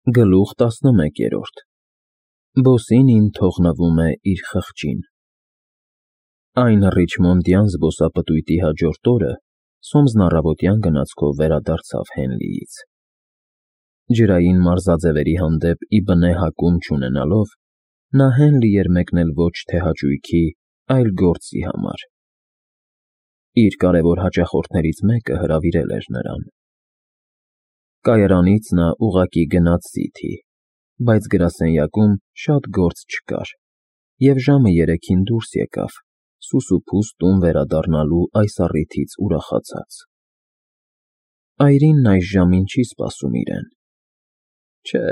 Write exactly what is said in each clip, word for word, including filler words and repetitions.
Գլուխ տասնմեկերորդ Բոսինին թողնվում է իր խղճին։ Այն ռիչմոնդյան զբոսապտույտի հաջորդ օրը Սոմսն առավոտյան գնացքով վերադարձավ Հենլիից։ Ջրային մարզաձևերի հանդեպ ի բնե հակում չունենալով, նա Հենլի էր մեկնել ոչ թե հաճույքի, այլ գործի համար։ Իր կարևոր հաճախորդներից մեկը հրավիրել էր նրան։ Կայարանից նա ուղղակի գնաց Սիթի, բայց գրասենյակում շատ գործ չկար, և ժամը երեքին դուրս եկավ, սուսուփուս տուն վերադառնալու այս առիթից ուրախացած։ Այրինն այս ժամին չի սպասում իրեն։ Չէ,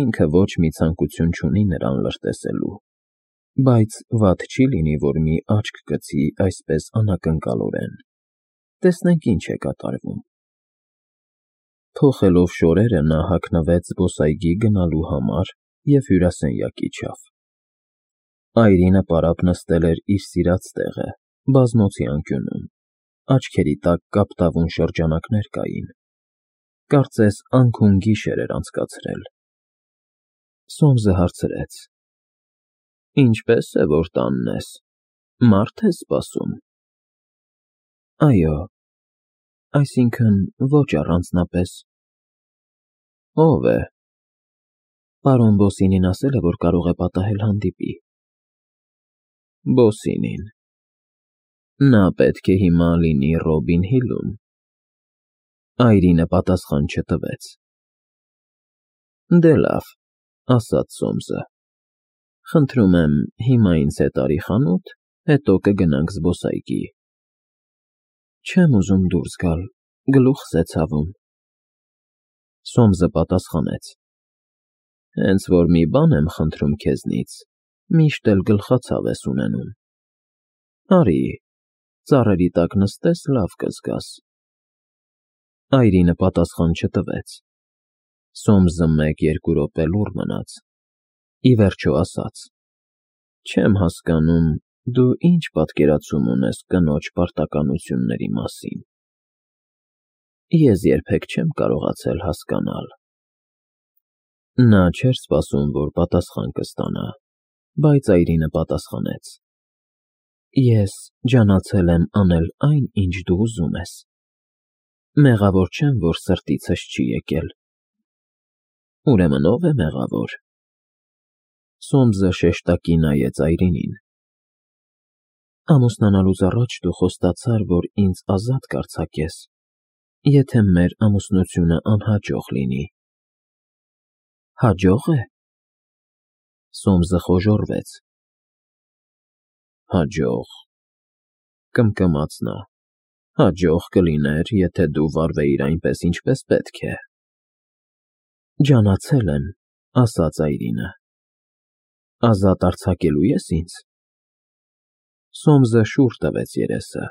ինքը ոչ մի ցանկություն չունի նրան լրտեսելու, բայց վատ չի լինի, որ մի աչք գցի այսպես անակնկալորեն, տեսնենք ինչ է կատարվում։ Փոխելով շորերը նա հագնվեց զբոսայգի գնալու համար և հյուրասենյակ իջավ։ Այրինը պարապ նստել էր իր սիրած տեղը, բազմոցի անկյունում, աչքերի տակ կապտավուն շրջանակներ կային, կարծես անքուն գիշեր էր անցկացրել։ Սոմսը հարցրեց. Ինչպե՞ս է, որ տանն ես, մարդ ես սպասում։ Այո, այսինքն՝ ոչ առանձնապես։ Ո՞վ է։ Պարոն Բոսինին ասել է, որ կարող է պատահել հանդիպի։ Բոսինին։ Նա պետք է հիմա լինի Ռոբին Հիլում։ Այրինը պատասխան չտվեց։ Դե լավ, ասաց Սոմսը, խնդրում եմ հիմա ինձ հետ արի խանութ, հետո կգնանք զբոսայգի։ Չեմ ուզում դուրս գալ, գլուխս է ցավում։ Սոմսը պատասխանեց. Հենց որ մի բան եմ խնդրում քեզնից, միշտ էլ գլխացավ ես ունենում։ Արի, ծառերի տակ նստես, լավ կզգաս։ Այրինը պատասխան չտվեց։ Սոմսը մեկ֊երկու րոպե լուռ մնաց, ի վերջո ասաց. Չեմ հասկանում, դու ինչ պատկերացում ունես կնոջ պարտականությունների մասին։ Ես երբեք չեմ կարողացել հասկանալ։ Նա չէր սպասում, որ պատասխան կստանա, բայց Այրինը պատասխանեց. Ես ջանացել եմ անել այն, ինչ դու ուզում ես։ Մեղավոր չեմ, որ սրտիցս չի եկել։ Ուրեմն ո՞վ է մեղավոր։ Սոմսը շեշտակի նայեց Այրինին։ Ամուսնանալուց առաջ դու խոստացար, որ ինձ ազատ կարձակես, եթե մեր ամուսնությունը անհաջող լինի։ Հաջո՞ղ է։ Սոմսը խոժոռվեց։ Հաջող, կմկմաց նա, հաջող կլիներ, եթե դու վարվեիր այնպես, ինչպես պետք է։ Ջանացել եմ, ասաց Այրինը։ Ազատ արձակելու ես ինձ։ Սոմսը շուռ տվեց երեսը։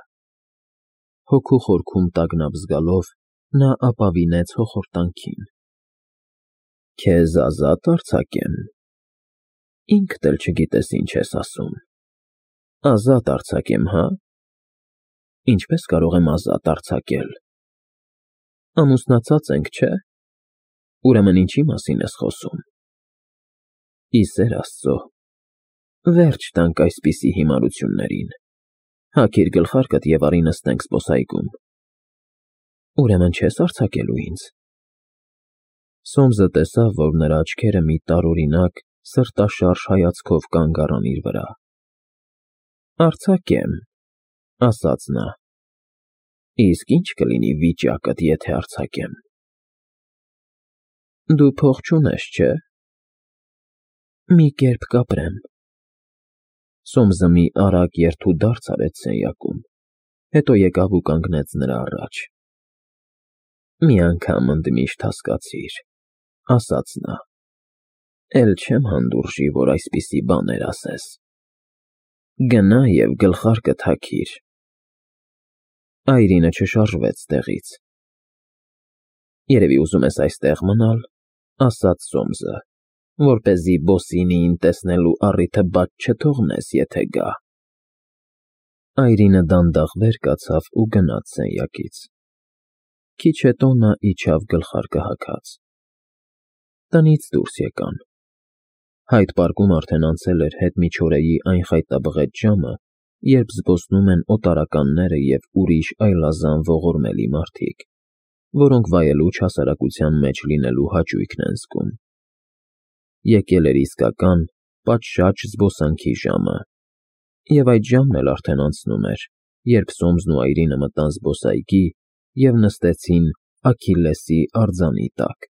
Հոգու խորքում տագնապ զգալով, նա ապավինեց հոխորտանքին։ Քեզ ազատ արձակեմ։ Ինքդ էլ չգիտես ինչ ես ասում։ Ազատ արձակեմ, հա։ Ինչպես կարող եմ ազատ արձակել։ Ամուսնացած ենք, չէ։ Ուրեմն ինչի մասին ես խոսում։ Ի սեր Աստծո, վերջ տանք այսպիսի հիմարություններին։ Հագիր գլխարկդ և արի նստենք զբոսայգում։ Ուրեմն չես արձակելու ինձ։ Սոմսը տեսավ, որ նրա աչքերը մի տարօրինակ, սրտաշարժ հայացքով կանգ առան իր վրա։ Արձակեմ, ասաց նա։ Իսկ ի՞նչ կլինի վիճակդ, եթե արձակեմ։ Դու փող չունես, չէ։ Մի կերպ կապրեմ։ Սոմսը մի արագ երթուդարձ արեց սենյակում, հետո եկավ ու կանգնեց նրա առաջ։ Մի անգամ ընդմիշտ հասկացիր, ասաց նա, էլ չեմ հանդուրժի, որ այսպիսի բաներ ասես։ Գնա և գլխարկդ հագիր։ Այրինը չշարժվեց տեղից։ Երևի ուզում ես այստեղ մնալ, ասաց Սոմսը, որպեսզի Բոսինիին տեսնելու առիթը բաց չթողնես, եթե գա։ Այրինը դանդաղ վեր կացավ ու գնաց սենյակից։ Քիչ հետո նա իջավ գլխարկը հագած։ Տնից դուրս եկան։ Հայդ Պարկում արդեն անցել էր հետմիջօրեի այն խայտաբղետ ժամը, երբ զբոսնում են օտարականները և ուրիշ այլազան ողորմելի մարդիկ, որոնք վայելու չհասարակության մեջ լինելու հաճույքն են զգում։ Եկել էր իսկական, պատշաճ զբոսանքի ժամը, և այդ ժամն էլ արդեն անցնում էր, երբ Սոմսն ու Այրինը մտան զբոսայգի և նստեցին Աքիլլեսի արձանի տակ։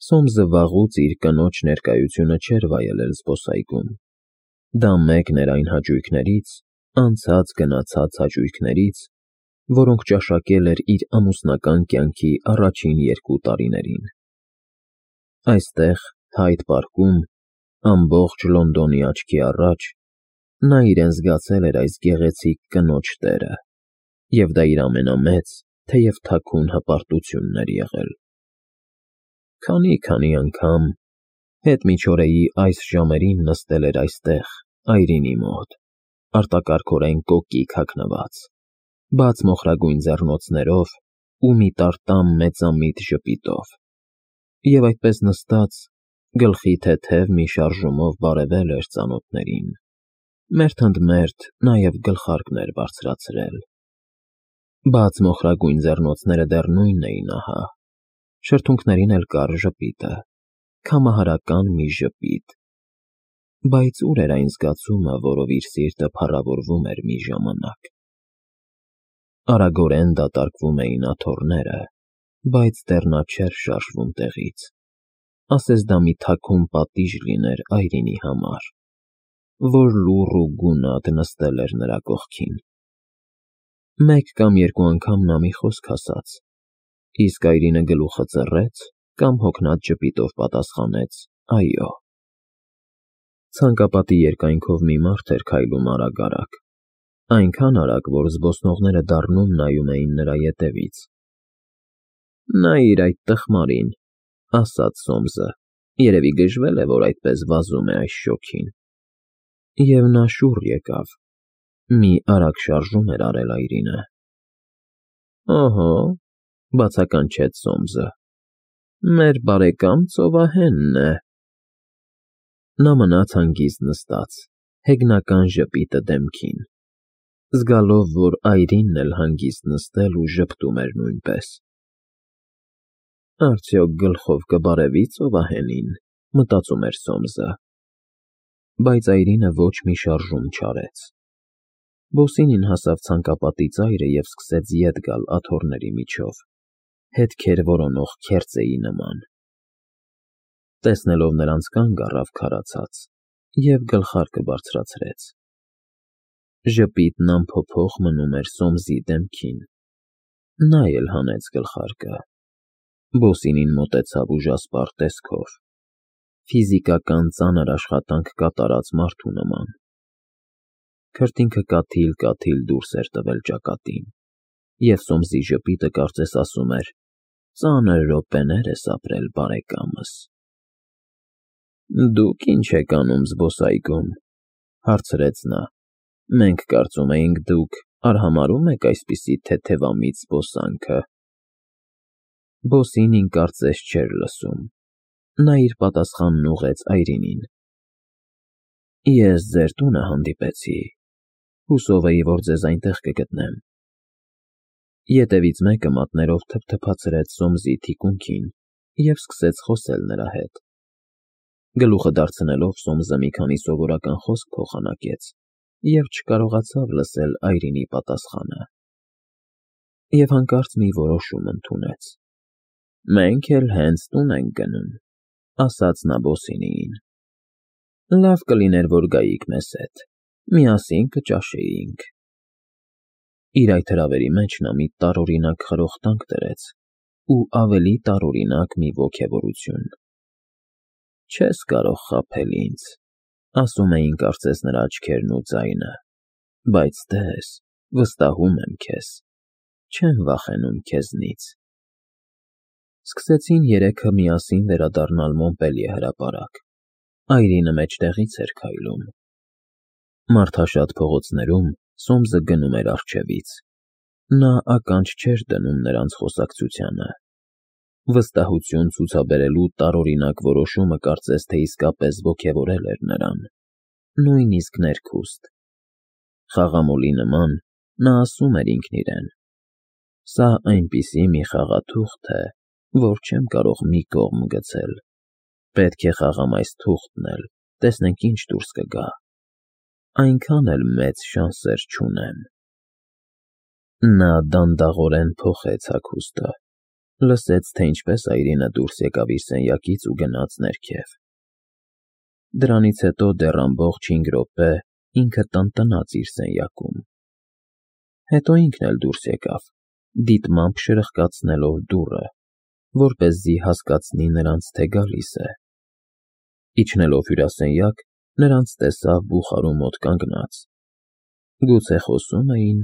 Սոմսը վաղուց իր կնոջ ներկայությունը չէր վայելել զբոսայգում։ Դա մեկն էր այն հաճույքներից, անցած֊գնացած հաճույքներից, որոնք ճաշակել էր իր ամուսնական կյանքի առաջին երկու տարիներին։ Այստեղ, Հայդ Պարկում, ամբողջ Լոնդոնի աչքի առաջ, նա իրեն զգացել էր այս գեղեցիկ կնոջ տերը, և դա իր ամենամեծ, թեև թաքուն հպարտությունն էր եղել։ Քանի՜֊քանի անգամ հետմիջօրեի այս ժամերին նստել էր այստեղ, Այրինի մոտ, արտակարգորեն կոկիկ հագնված, բաց մոխրագույն ձեռնոցներով ու մի տարտամ մեծամիտ ժպիտով, և այդպես նստած, գլխի թեթև մի շարժումով բարևել էր ծանոթներին, մերթ ընդ մերթ նաև գլխարկն էր բարձրացրել։ Բաց մոխրագույն ձեռնոցները դեռ նույնն էին ահա, շրթունքներին էլ կար ժպիտը, քամահարական մի ժպիտ, բայց ուր էր այն զգացումը, որով իր սիրտը փառավորվում էր մի ժամանակ։ Արագորեն դատարկվում էին աթոռները, բայց դեռ նա չէր շարժվում տեղից, ասես դա մի թաքուն պատիժ լիներ Այրինի համար, որ լուռ ու գունատ նստել էր նրա կողքին։ Մեկ կամ երկու անգամ նա մի խոսք ասաց, իսկ Այրինը գլուխը ծռեց կամ հոգնած ժպիտով պատասխանեց «այո»։ Ցանկապատի երկայնքով մի մարդ էր քայլում արագ֊արագ, այնքան արագ, որ զբոսնողները դառնում նայում էին նրա ետևից։ «Նայիր այդ տխմարին», ֊ ասաց Սոմսը, երևի գժվել է, որ այդպես վազում է այս շոգին։ Եվ նա շուռ եկավ, մի արագ շարժում էր արել Այրինը։ «Օհո», ֊ բացականչեց Սոմսը, «մեր բարեկամ ծովահենն է»։ Նա մնաց հանգիստ նստած, հեգնական ժպիտը դեմքին, զգալով, որ Այրինն էլ հանգիստ նստել ու ժպտում էր նույնպես։ «Արդյոք գլխով կբարևի ծովահենին», ֊ մտածում էր Սոմսը։ Բայց Այրինը ոչ մի շարժում չարեց։ Բոսինին հասավ ցանկապատի ծայրը և սկսեց ետ գալ աթոռների միջով, հետքեր որոնող քերծեի նման։ Տեսնելով նրանց, կանգ առավ քարացած և գլխարկը բարձրացրեց։ Ժպիտն անփոփոխ մնում էր Սոմսի դեմքին։ Նա էլ հանեց գլխարկը։ Բոսինին մոտեցավ ուժասպառ տեսքով, ֆիզիկական ծանր աշխատանք կատարած մարդու նման։ Քրտինքը կաթիլ֊կաթիլ դուրս էր տվել ճակատին, և Սոմսի ժպիտը կարծես ասում էր. «Ծանր րոպեներ ես ապրել, բարեկամս»։ «Դուք ի՞նչ եք անում զբոսայգում», ֊ հարցրեց նա։ «Մենք կարծում էինք դուք արհամարհում եք այսպիսի թեթևամիտ զբոսանքը»։ Բոսինին կարծես չէր լսում։ Նա իր պատասխանն ուղղեց Այրինին։ «Ես ձեր տունը հանդիպեցի, հուսով էի, որ ձեզ այնտեղ կգտնեմ»։ Ետևից մեկը մատներով թփթփացրեց Սոմսի թիկունքին և սկսեց խոսել նրա հետ։ Գլուխը դարձնելով Սոմսը մի քանի սովորական խոսք փոխանակեց և չկարողացավ լսել Այրինի պատասխանը։ Եվ հանկարծ մի որոշում ընդունեց։ «Մենք էլ հենց տուն ենք գնում», ֊ ասաց նա Բոսինիին։ «Լավ կլիներ, որ գայիք մեզ հետ, միասին կճաշեինք»։ Իր այդ հրավերի մեջ նա մի տարօրինակ խրոխտանք դրեց ու ավելի տարօրինակ մի ոգևորություն։ «Չես կարող խաբել ինձ», ֊ ասում էին կարծես նրա աչքերն ու ձայնը, «բայց տես, վստահում եմ քեզ, չեմ վախենում քեզնից»։ Սկսեցին երեքը միասին վերադառնալ Մոնպելիե հրապարակ։ Այրինը մեջտեղից էր քայլում։ Մարդաշատ փողոցներում Սոմսը գնում էր առջևից։ Նա ականջ չէր դնում նրանց խոսակցությանը։ Վստահություն ցուցաբերելու տարօրինակ որոշումը կարծես թե իսկապես ոգևորել էր նրան, նույնիսկ ներքուստ։ Խաղամոլի նման նա ասում էր ինքն իրեն. «Սա այնպիսի մի խաղաթուղթ է, որ չեմ կարող մի կողմ գցել, պետք է խաղամ այս թուղթն էլ, տեսնենք ինչ դուրս կգա, այնքան էլ մեծ շանսեր չունեմ»։ Նա դանդաղորեն փոխեց հագուստը, լսեց, թե ինչպես Այրինը դուրս եկավ իր սենյակից ու գնաց ներքև։ Դրանից հետո դեռ ամբողջ հինգ րոպե ինքը տնտնաց իր սենյակում։ Հետո ինքն էլ դուրս եկավ, դիտմամբ շրխկացնելով դուռը, որպեսզի հասկացնի նրանց, թե գալիս է։ Իջնելով հյուրասենյակ, նրանց տեսավ բուխարու մոտ կանգնած։ Գուցե խոսում էին,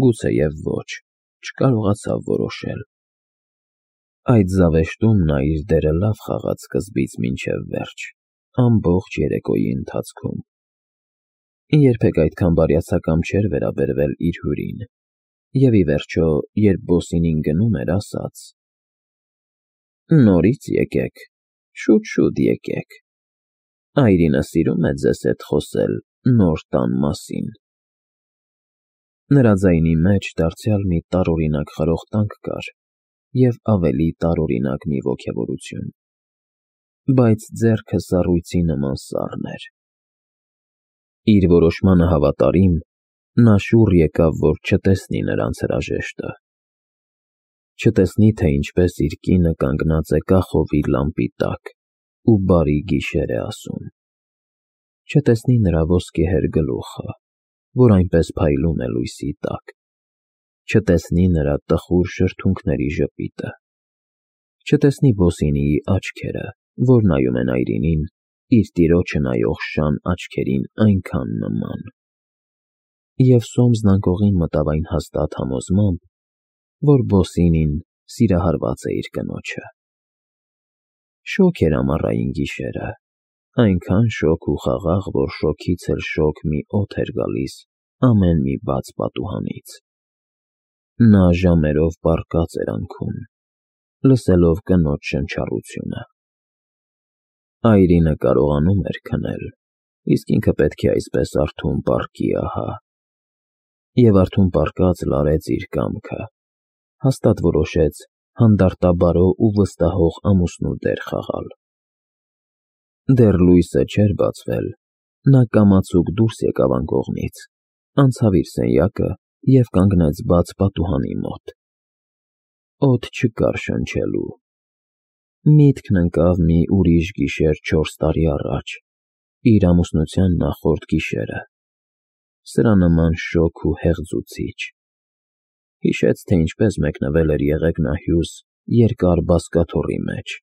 գուցեև ոչ, չկարողացավ որոշել։ Այդ զավեշտում նա իր դերը լավ խաղաց սկզբից մինչև վերջ, ամբողջ երեկոյի ընթացքում։ Երբեք այդքան բարյացակամ չէր վերաբերվել իր հյուրին, և ի վերջո, երբ Բոսինին գնում էր, ասաց. «Նորից եկեք, շուտ֊շուտ եկեք, Այրինը սիրում է ձեզ հետ խոսել նոր տան մասին»։ Նրա ձայնի մեջ դարձյալ մի տարօրինակ խրոխտանք կար և ավելի տարօրինակ մի ոգևորություն, բայց ձեռքը սառույցի նման սառն էր։ Իր որոշմանը հավատարիմ, նա շուռ եկավ, որ չտեսնի նրանց հրաժեշտը, չտեսնի, թե ինչպես իր կինը կանգնած է կախովի լամպի տակ ու բարի գիշեր է ասում, չտեսնի նրա ոսկեհեր գլուխը, որ այնպես փայլում է լույսի տակ, չտեսնի նրա տխուր շրթունքների ժպիտը, չտեսնի Բոսինիի աչքերը, որ նայում են Այրինին իր տիրոջը նայող շան աչքերին այնքան նման։ Եվ Սոմսն անկողին մտավ այն հաստատ համոզմամբ, որ Բոսինին սիրահարված է իր կնոջը։ Շոգ էր ամառային գիշերը, այնքան շոգ ու խաղաղ, որ շոգից էլ շոգ մի օդ էր գալիս ամեն մի բաց պատուհանից։ Նա ժամերով պառկած էր անքում, լսելով կնոջ շնչառությունը։ Այրինը կարողանում էր քնել, իսկ ինքը պետք է այսպես արթուն պառկի ահա։ Եվ արթուն պառկած լարեց իր կամքը, հաստատ որոշեց հանդարտաբարո ու վստահող ամուսնու դեր խաղալ։ Դեռ լույսը չէր բացվել, նա կամացուկ դուրս եկավ անկողնից, անցավ իր սենյակը և կանգնեց բաց պատուհանի մոտ։ Օդ չկար շնչելու։ Միտքն ընկավ մի ուրիշ գիշեր չորս տարի առաջ, իր ամուսնության նախորդ գիշերը, սրա նման շոգ ու հեղձուցիչ։ Հիշեց, թե ինչպես մեկնվել էր Եղեգնահյուս երկար բազկաթոռի մեջ,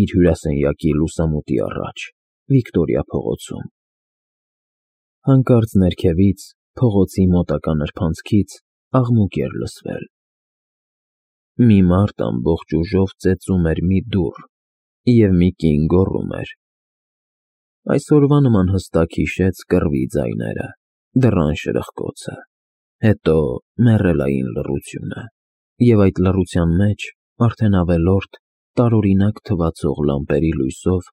իր հյուրասենյակի լուսամուտի առաջ, Վիկտորիա փողոցում։ Հանկարծ ներքևից, փողոցի մոտակա նրբանցքից աղմուկ էր լսվել։ Մի մարդ ամբողջ ուժով ծեծում էր մի դուռ, և մի կին գոռում էր։ Այսօրվա նման հստակ հիշեց կռվի ձայները, դռան շրխկոցը, հետո մեռելային լռությունը, և այդ լռության մեջ, արդեն ավելորդ, տարօրինակ թվացող լամպերի լույսով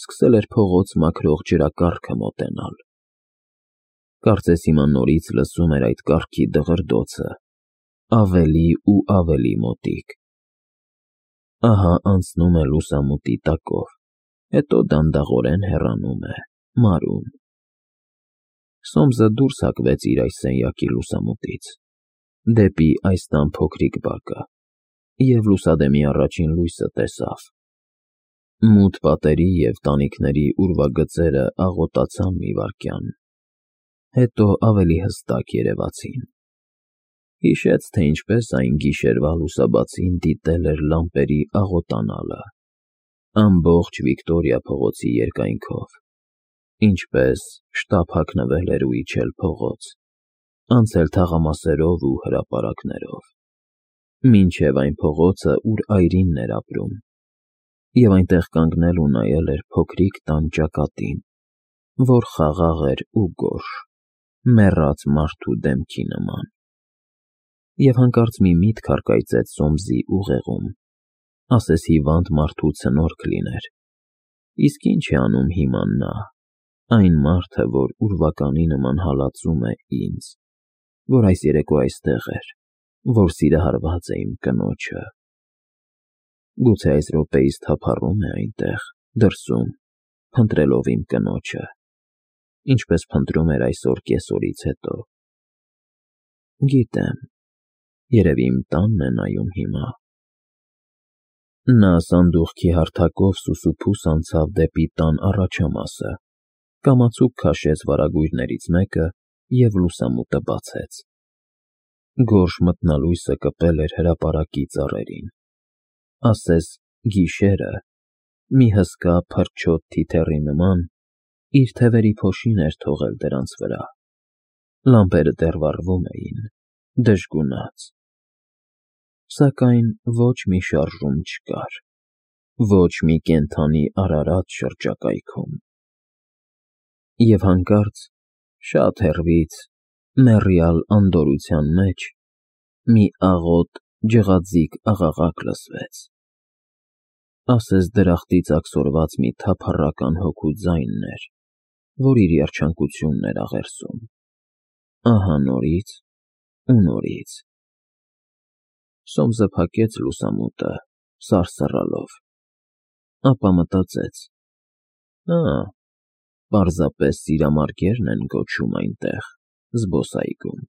սկսել էր փողոց մաքրող ջրակառքը մոտենալ։ Կարծես հիմա նորից լսում էր այդ կառքի դղրդոցը, ավելի ու ավելի մոտիկ։ Ահա անցնում է լուսամուտի տակով, հետո դանդաղորեն հեռանում է, մարում։ Սոմսը դուրս հակվեց իր այս սենյակի լուսամուտից, դեպի այս տան փոքրիկ բակը, և լուսադեմի առաջին լույսը տեսավ։ Մութ պատերի և տանիքների ուրվագծերը աղոտացան մի վայրկյան, հետո ավելի հստակ երևացին։ Հիշեց, թե ինչպես այն գիշերվա լուսաբացին դիտել էր լամպերի աղոտանալը, ամբողջ Վիկտորիա փողոցի երկայնքով, ինչպես շտապ հագնվել էր ու իջել փողոց, անցել թաղամասերով ու հրապարակներով, մինչև այն փողոցը, ուր Այրինն էր ապրում, և այնտեղ կանգնել ու նայել էր փոքրիկ տան ճակատին, որ խաղաղ էր ու գորշ, մեռած մարդու դեմքի նման։ Եվ հանկարծ մի միտք առկայծեց Սոմսի ուղեղում, ասես հիվանդ մարդու ցնորք լիներ։ Իսկ ինչ է անում հիմա նա, այն մարդը, որ ուրվականի նման հալածում է ինձ, որ այս երեկո այստեղ էր, որ սիրահարված է իմ կնոջը։ Գուցե այս րոպեիս թափառում է այնտեղ, դրսում, փնտրելով իմ կնոջը, ինչպես փնտրում էր այսօր կեսօրից հետո։ Գիտեմ, երևի իմ տանն է նայում հիմա։ Նա սանդուղքի հարթակով սուսուփուս անցավ դեպի տան առաջամասը, կամացուկ քաշեց վարագույրներից մեկը և լուսամուտը բացեց։ Գորշ մթնալույսը կպել էր հրապարակի ծառերին, ասես գիշերը, մի հսկա փրչոտ թիթեռի նման, իր թևերի փոշին էր թողել դրանց վրա։ Լամպերը դեռ վառվում էին, դժգունած, սակայն ոչ մի շարժում չկար, ոչ մի կենդանի արարած շրջակայքում։ Եվ հանկարծ, շատ հեռվից, մեռյալ անդորրության մեջ, մի աղոտ ջղաձիգ աղաղակ լսվեց, ասես դրախտից աքսորված մի թափառական հոգու ձայնն էր, որ իր երջանկությունն էր աղերսում, ահա նորից ու նորից։ Սոմսը փակեց լուսամուտը, սարսռալով, ապա մտածեց. «Ա, պարզապես սիրամարգերն են կոչում այնտեղ, զբոսայգում»։